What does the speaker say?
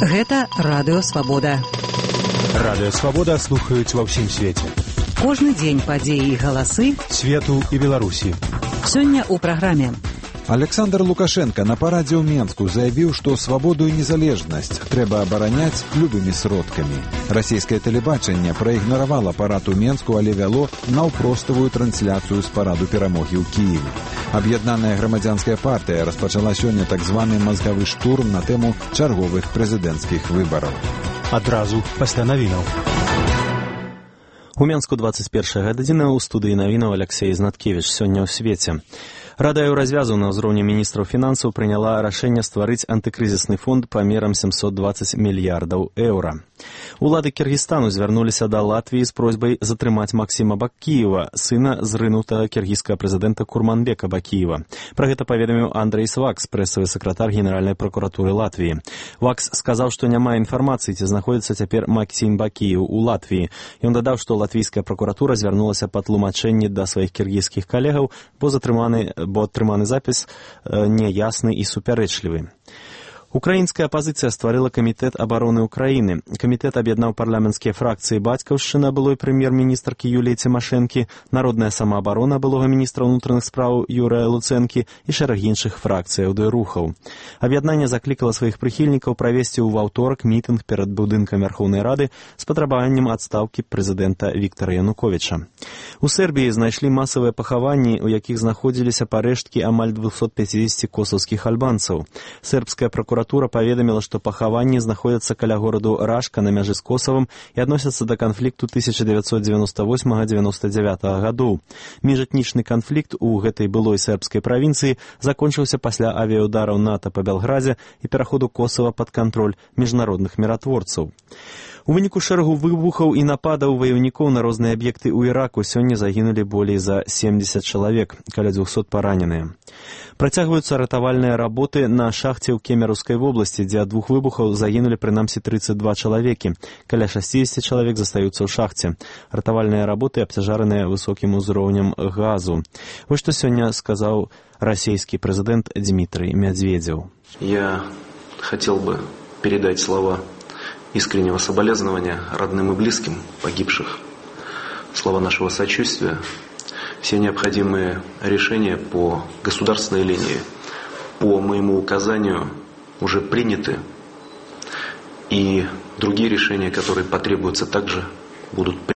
Гэта Радыё Свабода. Радыё Свабода слухаюць ва ўсім свеце. Кожны дзень падзеі і галасы свету і Беларусі. Сёння ў праграме. Александр Лукашенко на парадзе ў Менску заявіў, што свабоду і незалежнасць трэба абараняць любымі сродкамі. Расійскае тэлебачанне праігнаравала парад у Менску, але вяло наўпроставую трансляцыю з параду перамогі ў Кіеве. Аб'яднаная грамадзянская партыя распачала сёння так званы мазгавы штурм на тэму чарговых прэзідэнцкіх выбараў. Адразу пасля навінаў. У Менску 21 гадзіна, у студыі навінаў Алексей Знаткевіч. Сёння ў свеце. Рада Еўразвязу на ўзроўні міністраў фінансаў прыняла рашэнне стварыць антыкрызісны фонд памерам 720 мільярдаў еўра. Улады Кіргізстану звярнуліся да Латвіі з просьбай затрымаць Максіма Бакіева, сына зрынутага кіргізскага прэзідэнта Курманбека Бакіева. Пра гэта паведаміў Андрейс Вакс, прэсавы сакратар Генеральнай пракуратуры Латвіі. Вакс сказаў, што няма інфармацыі, ці знаходзіцца цяпер Максім Бакіев у Латвіі. Ён дадаў, што латвійская пракуратура звярнулася па тлумачэнні да сваіх кіргізскіх калегаў, бо атрыманы запіс няясны і супярэчлівы. Украінская апазіцыя стварыла камітэт абароны Украіны. Камітэт аб'яднаў парламенцкія фракцыі бацькаўшчына былой прэм'ер-міністркі Юліі Цімашэнкі, Народная самаабарона былога міністра ўнутраных спраў Юрыя Луцэнкі і шэраг іншых фракцыяў ды рухаў. Аб'яднанне заклікала сваіх прыхільнікаў правесці ў аўторак мітынг перад будынкам Вярхоўнай Рады з патрабаваннем адстаўкі прэзідэнта Віктара Януковіча. У Сербіі знайшлі масавыя пахаванні, у якіх знаходзіліся парэшткі амаль 250 косаўскіх альбанцаў. Сербская пракуратура паведаміла, што пахаванні знаходзяцца каля гораду Рашка на мяжы з Косавам і адносяцца да канфлікту 1998-99 гадоў. Міжэтнічны канфлікт у гэтай былой сербскай правінцыі закончыўся пасля авіяўдараў НАТО па Белградзе і пераходу Косава пад кантроль міжнародных міратворцаў. У выніку шэрагу выбухаў і нападаў ваяўнікоў на розныя аб'екты ў Іраку сёння загінулі болей за 70 чалавек, каля 200 параненыя. Працягваюцца ратавальныя работы на шахце ў Кемераўскай вобласці, дзе ад двух выбухаў загінулі прынамсі 32 чалавекі. Каля 60 чалавек застаюцца ў шахце. Ратавальныя работы абцяжараныя высокім узроўнем газу. Вось што сёння сказаў расійскі прэзідэнт Дмітрий Медведев. Я хотел бы передать слова искреннего соболезнования родным и близким погибших, слова нашего сочувствия. Все необходимые решения по государственной линии, по моему указанию, уже приняты, и другие решения, которые потребуются, также будут приняты.